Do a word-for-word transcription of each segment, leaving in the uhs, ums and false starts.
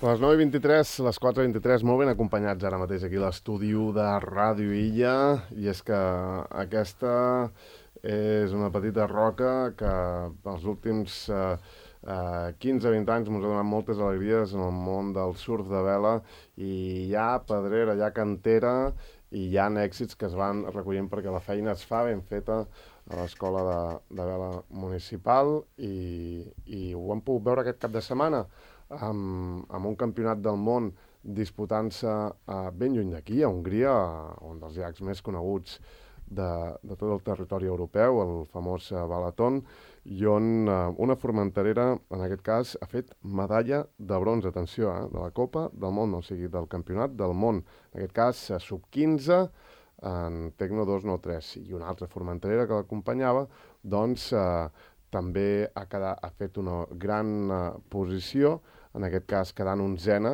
les nou i vint-i-tres, les quatre i vint-i-tres, molt ben acompanyats ara mateix aquí a l'estudi de Ràdio Illa, i és que aquesta és una petita roca que els últims eh, eh, quinze a vint anys ens ha donat moltes alegries en el món del surf de vela, i hi ha pedrera, hi ha cantera, i hi ha èxits que es van recollint perquè la feina es fa ben feta a l'Escola de, de Vela Municipal, i, i ho hem pogut veure aquest cap de setmana amb, amb un campionat del món disputant-se uh, ben lluny d'aquí, a Hongria, un dels llacs més coneguts de, de tot el territori europeu, el famós uh, Balaton, i on uh, una formenterera, en aquest cas, ha fet medalla de bronze, atenció, eh, de la Copa del Món, o sigui, del Campionat del Món, en aquest cas, uh, sub quinze, en Tecno dos nou tres, i una altra formenterera que l'acompanyava, doncs uh, també ha, quedat, ha fet una gran uh, posició, en aquest cas quedant onzena,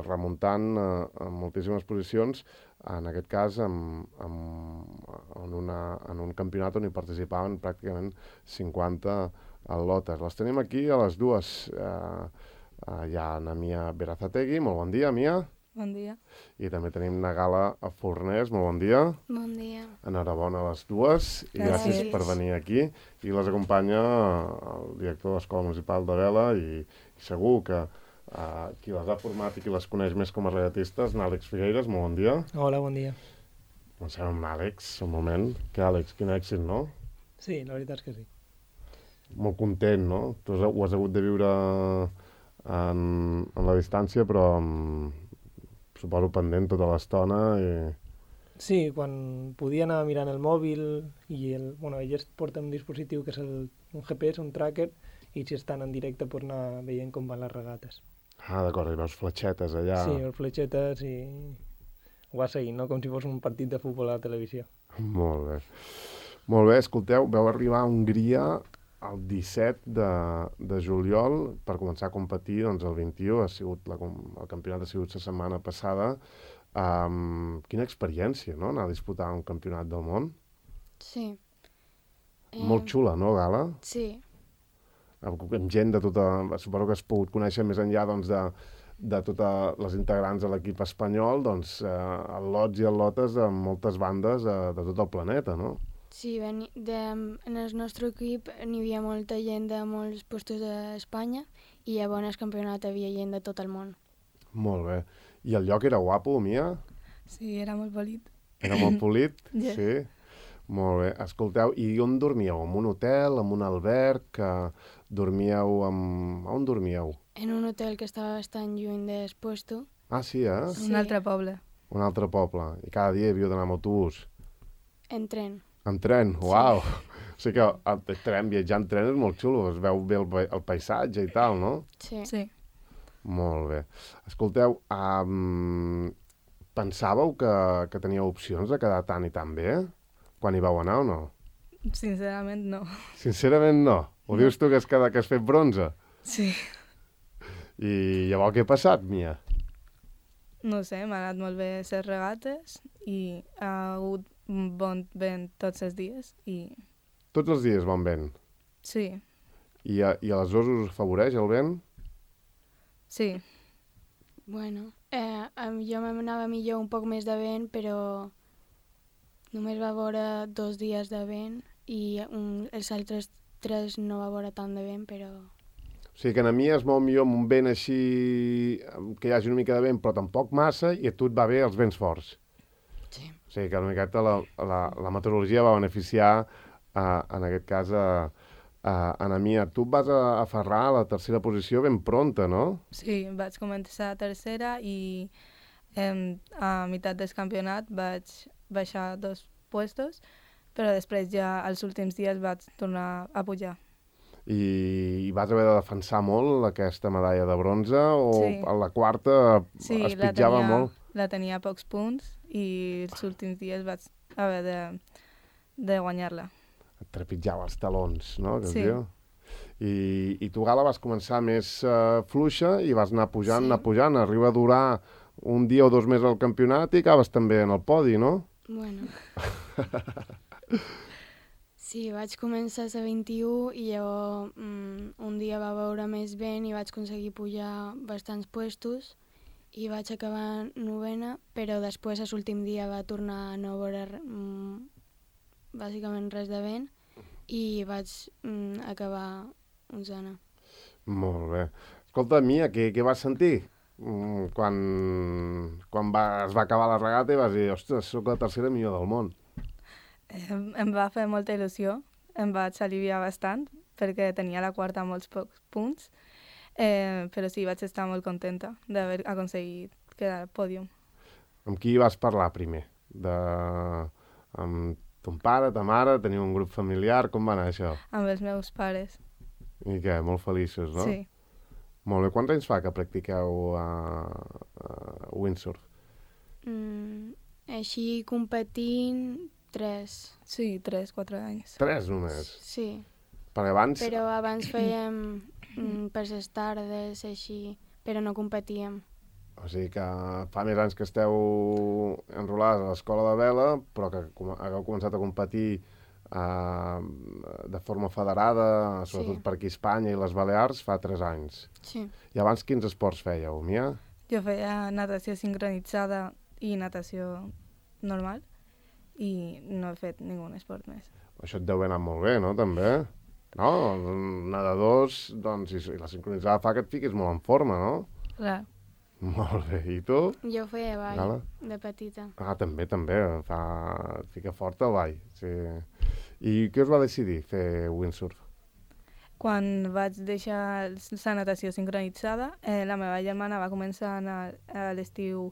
remuntant eh, en moltíssimes posicions, en aquest cas en, en, en, una, en un campionat on hi participaven pràcticament cinquanta atletes. Les tenim aquí a les dues. Eh, eh, hi ha na Mia Berazategui, molt bon dia, Mia. Bon dia. I també tenim na Gala Fornés, molt bon dia. Bon dia. Enhorabona a les dues, i gràcies, gràcies per venir aquí. I les acompanya el director de l'Escola Municipal de Vela, i, i segur que Uh, qui les ha format i qui les coneix més com a regatistes, n'Àlex Figueiras, molt bon dia. Hola, bon dia. Comencem amb Àlex, un moment. Que Àlex, quin èxit, no? Sí, la veritat és que sí. Molt content, no? Tu ho has hagut de viure en, en la distància, però um, suposo pendent tota l'estona. I... Sí, quan podia anar mirant el mòbil, i el, bueno, elles porten un dispositiu que és el, un G P S, un tracker, i si estan en directe per anar veient com van les regates. Ah, d'acord, i veus fletxetes allà. Sí, veus fletxetes i ho vas seguint, no? Com si fos un partit de futbol a la televisió. Molt bé. Molt bé, escolteu, veu arribar a Hongria el disset de, de juliol per començar a competir, doncs el vint-i-u, ha sigut la, el campionat ha sigut la setmana passada. Um, quina experiència, no?, anar a disputar un campionat del món. Sí. Eh... Molt xula, no, Gala? Sí. Amb gent de tota... Suposo que has pogut conèixer més enllà, doncs, de, de totes les integrants de l'equip espanyol, doncs, eh, al·lots i al·lotes de moltes bandes eh, de tot el planeta, no? Sí, ben, de, en el nostre equip n'hi havia molta gent de molts llocs d'Espanya, i llavors al campionat havia gent de tot el món. Molt bé. I el lloc era guapo, Mia? Sí, era molt polit. Era molt polit? Yeah. Sí? Molt bé. Escolteu, i on dormíeu? En un hotel, en un alberg? Que dormíeu amb... On dormíeu? En un hotel que estava bastant lluny del puesto. Ah, sí, eh? Sí. Un altre poble. Un altre poble. I cada dia havíeu d'anar amb autobús? En tren. En tren? Uau! Sí. O sigui que el tren, viatjar en tren és molt xulo, es veu bé el, el paisatge i tal, no? Sí. Sí. Molt bé. Escolteu, um, pensàveu que, que teníeu opcions de quedar tan i tan bé? Quan hi vau anar o no? Sincerament, no. Sincerament, no. Ho no. Dius tu que has, quedat, que has fet bronze? Sí. I llavors què ha passat, Mia? No sé, m'ha anat molt bé les regates i ha hagut bon vent tots els dies i... Tots els dies bon vent? Sí. I, a, i aleshores us afavoreix el vent? Sí. Bueno, eh, jo m'anava millor un poc més de vent, però... Només va veure dos dies de vent i un, els altres tres no va veure tant de vent, però... O sigui que a mi es mou millor amb un vent així, que hi hagi una mica de vent, però tampoc massa, i a tu et va bé els vents forts. Sí. O sigui que una miqueta la, la, la meteorologia va beneficiar, uh, en aquest cas, a, a, a na Mia. Tu et vas a, aferrar a la tercera posició ben pronta, no? Sí, vaig començar a tercera i eh, a meitat del campionat vaig baixar dos puestos, però després ja als últims dies vaig tornar a pujar. I, i vas haver de defensar molt aquesta medalla de bronze, o sí. a la quarta sí, es pitjava tenia, molt? la tenia a pocs punts i els últims dies vaig haver de, de guanyar-la. Et trepitjava els talons, no? Que sí. I, I tu, Gala, vas començar més uh, fluixa i vas anar pujant, sí. anar pujant, arriba a durar un dia o dos més al campionat i acabes també en el podi, no? Bueno. Sí, vaig començar a vint-i-u i llavors mm, un dia va veure més vent i vaig aconseguir pujar bastants puestos i vaig acabar novena, però després, a l'últim dia, va tornar a no veure mm, bàsicament res de vent i vaig mm, acabar onzena. Molt bé. Escolta, Mia, què, què vas sentir? Mm, quan quan va, es va acabar la regata i vas dir, ostres, sóc la tercera millor del món. Em, em va fer molta il·lusió, em vaig aliviar bastant, perquè tenia la quarta amb molts pocs punts, eh, però sí, vaig estar molt contenta d'haver aconseguit quedar al pòdium. Amb qui vas parlar primer? De... Amb ton pare, ta mare, teniu un grup familiar, com va anar això? Amb els meus pares, I què, molt feliços, no? sí. Molt bé. Quants anys fa que practiqueu a, a windsurf? Mm, així competint, tres. Sí, tres, quatre anys. Tres només? Sí, Perquè abans... però abans fèiem mm, per les tardes, així, però no competíem. O sigui que fa més anys que esteu enrolades a l'escola de vela, però que com hagueu començat a competir eh, de forma federada, sobretot Sí. per aquí a Espanya i les Balears, fa tres anys. Sí. I abans quins esports fèieu, Mia? Jo feia natació sincronitzada i natació normal i no he fet ningú esport més. Això et deu haver anat molt bé, no, també? No? Nedadors, doncs, i, i la sincronitzada fa que et fiquis molt en forma, no? Clar. Molt bé. I tu? Jo feia ball Gala? de petita. Ah, també, també. Fa... Et fica fort el ball. Sí. I què us va decidir fer windsurf? Quan vaig deixar la natació sincronitzada, eh, la meva germana va començar a anar a l'estiu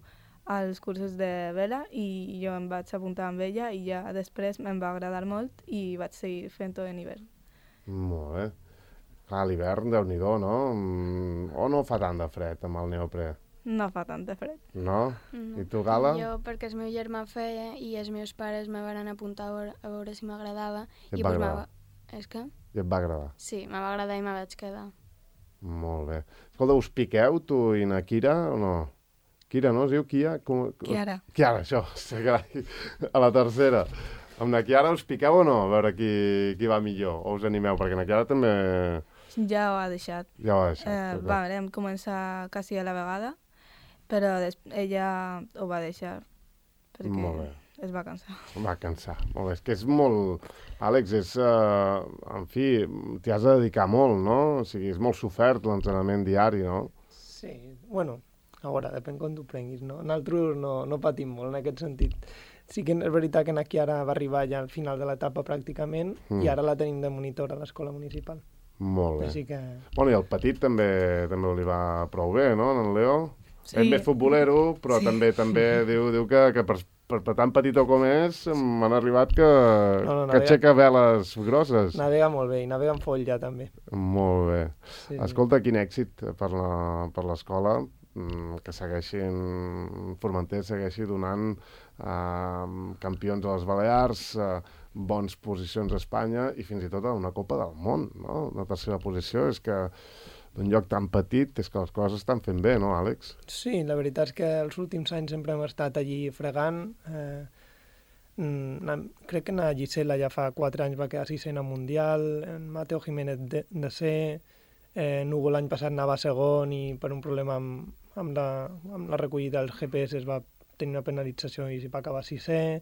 als cursos de vela i jo em vaig apuntar amb ella i ja després em va agradar molt i vaig seguir fent-ho en hivern. Molt bé. Clar, l'hivern, déu-n'hi-do, no? Mm, O no fa tant de fred amb el neoprè? No fa tant de fred. No? No. I tu, Gala? Jo, perquè el meu germà feia i els meus pares me van apuntar a veure, a veure si m'agradava. I et I va pues me agradar? va... És que? I et va agradar? Sí, me va agradar i me vaig quedar. Molt bé. Escolta, us piqueu, tu i na Kira, o no? Kira, no? Es diu Kia? Com... Kiara. Kiara, això. Sí, carai. A la tercera. Amb na Kiara us piqueu o no? A veure qui, qui va millor. O us animeu? Perquè na Kiara també Ja ho ha deixat. ja ho ha deixat. Eh, però- va, vam començar quasi a la vegada, però des ella ho va deixar perquè Molt bé. es va cansar. Va cansar. Molt bé. És que és molt... Àlex, és... Uh, en fi, t'hi has de dedicar molt, no? O sigui, és molt sofert l'entrenament diari, no? Sí, bueno, a veure, depèn com t'ho prenguis, no? Nosaltres no, no patim molt en aquest sentit. Sí que és veritat que aquí ara va arribar ja al final de l'etapa pràcticament Mm. i ara la tenim de monitor a l'escola municipal. Molt bé. Així que... Bueno, i el petit també també li va prou bé, no, en Leo? Sí. És més futbolero, però Sí. també també diu, diu que, que per, per, per tan petitó com és m'han arribat que, No, no, que navega- aixeca veles grosses. Navega molt bé i navega en foll ja també. Molt bé. Sí, sí. Escolta, quin èxit per la- per l'escola, mm, que segueixin, Formentera segueixi donant eh, campions a les Balears, eh, bons posicions a Espanya i fins i tot a una Copa del Món, no? Una tercera posició és que d'un lloc tan petit és que les coses estan fent bé, no, Àlex? Sí, la veritat és que els últims anys sempre hem estat allí fregant. Eh, mm, na- crec que na Gisela ja fa quatre anys va quedar sisena mundial, en Mateo Jiménez de, de ser, eh, Nugo l'any passat anava segon i per un problema amb, amb, la, amb la recollida dels G P S es va tenir una penalització i s'hi va acabar sisè.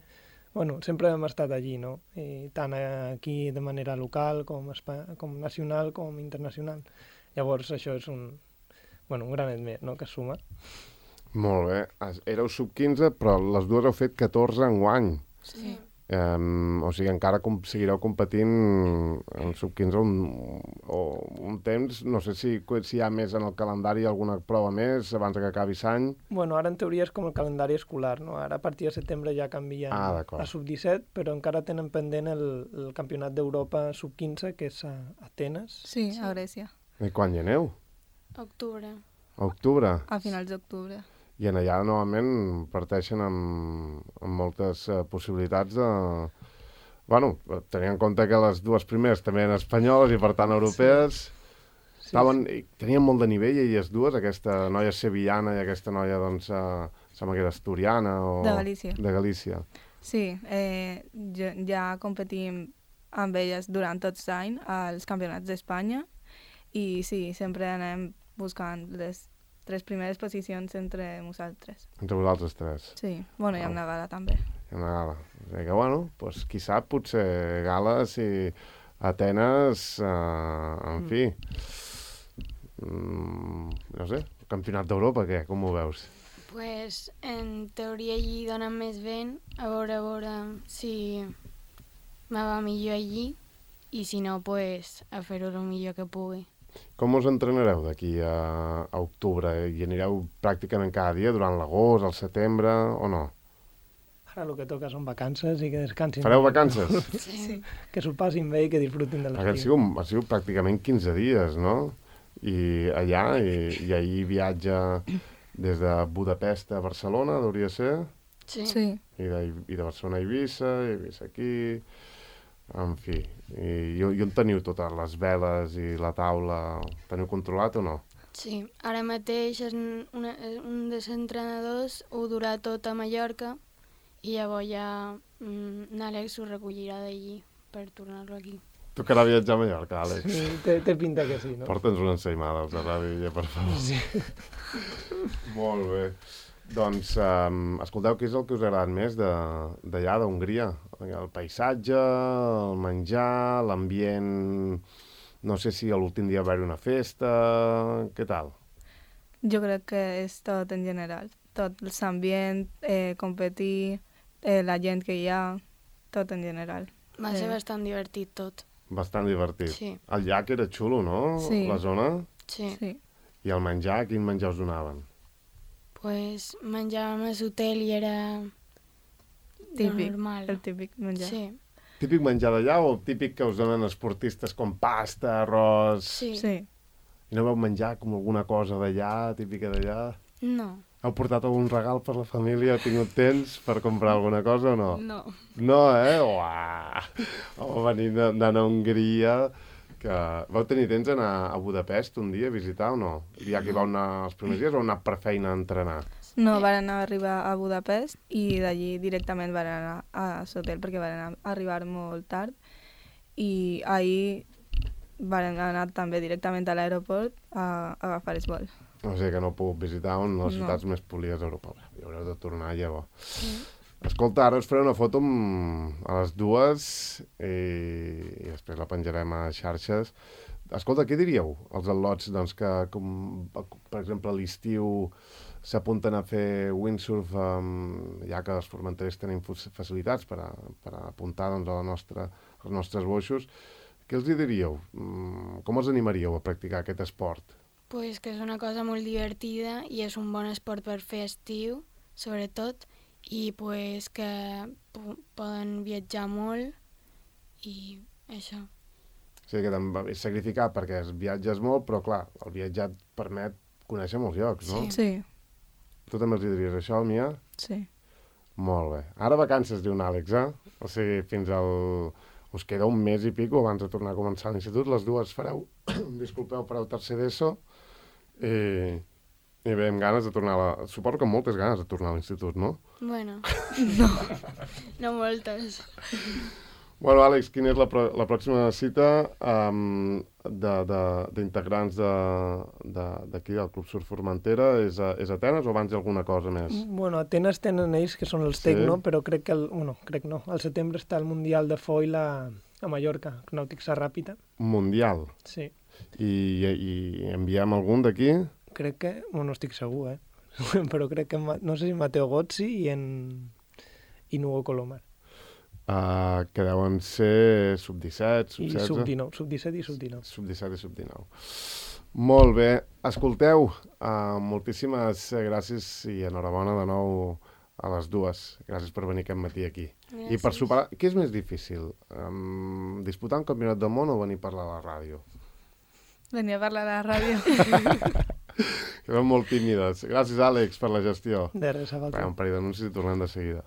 Bueno, sempre hem estat allí, no? I tant aquí de manera local com, espa com nacional com internacional. Llavors això és un, bueno, un granet més, no?, que es suma. Molt bé. Es- Éreu sub quinze, però les dues heu fet catorze enguany. Sí. Um, o sigui, encara com, seguireu competint en sub quinze un, o un temps. No sé si, si hi ha més en el calendari alguna prova més abans que acabi l'any. Bueno, ara en teoria és com el calendari escolar, no? Ara a partir de setembre ja canvien Ah, d'acord. a sub disset, però encara tenen pendent el, el campionat d'Europa sub quinze, que és a Atenes. Sí, Sí. a Grècia, I quan hi aneu? Octubre. A octubre. a finals d'octubre. I en allà normalment parteixen amb, amb moltes uh, possibilitats de... Bueno, tenint en compte que les dues primeres també eren espanyoles i per tant europees, Sí, estaven, i tenien molt de nivell elles dues, aquesta noia sevillana i aquesta noia, doncs, uh, sembla que era asturiana o... De Galícia. De Galícia. Sí, eh, ja, ja competim amb elles durant tot l'any als campionats d'Espanya i sí, sempre anem buscant les tres primeres posicions entre nosaltres. Entre vosaltres tres. Sí, bueno, i amb Ah. la Gala també. Hi ha una gala. O sigui que, bueno, doncs, qui sap, potser gales i Atenes, eh, en fi, mm, no sé, campionat d'Europa, què? Com ho veus? Pues, en teoria allí donen més vent, a veure, a veure si me va millor allí, i si no, pues, a fer-ho el millor que pugui. Com us entrenareu d'aquí a, a octubre? I anireu pràcticament cada dia durant l'agost, el setembre, o no? Ara el que toca són vacances i que descansin. Fareu vacances? Sí. Que s'ho passin bé i que disfrutin de Perquè han l'estiu. sigut, han sigut pràcticament quinze dies, no? I allà, i, i ahir viatja des de Budapest a Barcelona, hauria ser, Sí. Sí. i de, i de Barcelona a Eivissa, i Eivissa aquí, en fi. I, i, i on teniu totes les veles i la taula? Teniu controlat o no? Sí. Ara mateix és un, una, un dels entrenadors ho durà tot a Mallorca i llavors ja mm, n'Àlex ho recollirà d'allí per tornar-lo aquí. Tocarà viatjar a Mallorca, Àlex. Sí, té, té pinta que sí, no? Porta'ns una ensaïmada als de ràdio, per favor. Sí. Molt bé. Doncs, um, escolteu, què és el que us ha agradat més de- d'allà, d'Hongria? El paisatge, el menjar, l'ambient... No sé si l'últim dia va haver una festa... Què tal? Jo crec que és tot en general. Tot l'ambient, eh, competir, eh, la gent que hi ha, tot en general. Va ser Eh. bastant divertit tot. Bastant divertit. Sí. El llac era xulo, no? Sí. La zona? Sí. Sí. I el menjar, quin menjar us donaven? Pues menjàvem a l'hotel i era Típic, normal. el típic menjar. Sí. Típic menjar d'allà o típic que us donen esportistes com pasta, arròs... Sí. Sí. I no vau menjar com alguna cosa d'allà, típica d'allà? No. Heu portat algun regal per la família? Heu tingut temps per comprar alguna cosa o no? No. No, eh? Uah! Home, venint de- d'anar a Hongria... Que... Vau tenir temps d'anar a Budapest un dia a visitar o no? Ja que hi vau anar els primers dies o heu anat per feina a entrenar? No, van arribar a Budapest i d'allí directament van anar a l'hotel perquè van anar, arribar molt tard i ahir van anar també directament a l'aeroport a, a agafar el vol. O sigui que no heu pogut visitar una de les No. ciutats més polies d'Europa. Hi haureu de tornar llavors. Sí. Escolta, ara us faré una foto amb, a les dues i, i després la penjarem a xarxes. Escolta, què diríeu als al·lots doncs, que, com, per exemple, a l'estiu s'apunten a fer windsurf, um, ja que els formenterers tenen facilitats per, a, per a apuntar doncs, a la nostra, als nostres boixos. Què els hi diríeu? Mm, com els animaríeu a practicar aquest esport? Pues que és una cosa molt divertida i és un bon esport per fer estiu, sobretot, i pues que po poden viatjar molt i això. O sigui que també és sacrificat perquè es viatges molt, però clar, el viatjar et permet conèixer molts llocs, no? Sí. Sí, Tu també els hi diries això, Mia? sí. Molt bé. Ara vacances, diu un Àlex, eh? O sigui, fins al... Us queda un mes i pico abans de tornar a començar l'institut. Les dues fareu, disculpeu, fareu tercer d'ESO i, i bé, amb ganes de tornar a la... Suposo que amb moltes ganes de tornar a l'institut, no? Bueno, no, no moltes. Bueno, Àlex, quina és la, pro la pròxima cita um, d'integrants d'aquí, de, de, del Club Surf Formentera? És a, és a Atenes o abans hi ha alguna cosa més? Bueno, a Atenes tenen ells, que són els Sí. Tecno, però crec que, el, bueno, crec no, al setembre està el Mundial de Foil a, a Mallorca, Nàutica Ràpida. Mundial. Sí, I, i enviem algun d'aquí? crec que, bueno, no estic segur, eh? però crec que, Ma- no sé si Mateo Gozzi i en i Nugo Colomar. Uh, que deuen ser sub disset, sub I setze... sub dinou, sub disset i sub dinou. sub disset i sub dinou. Molt bé. Escolteu, uh, moltíssimes gràcies i enhorabona de nou a les dues. Gràcies per venir aquest matí aquí. Gràcies. I per superar... Què és més difícil? Um, disputar un campionat del món o venir a parlar a la ràdio? Venia a parlar a la ràdio. Que eren molt tímides. Gràcies, Àlex, per la gestió. De res, a Farem un parell d'anuncis i tornem de seguida.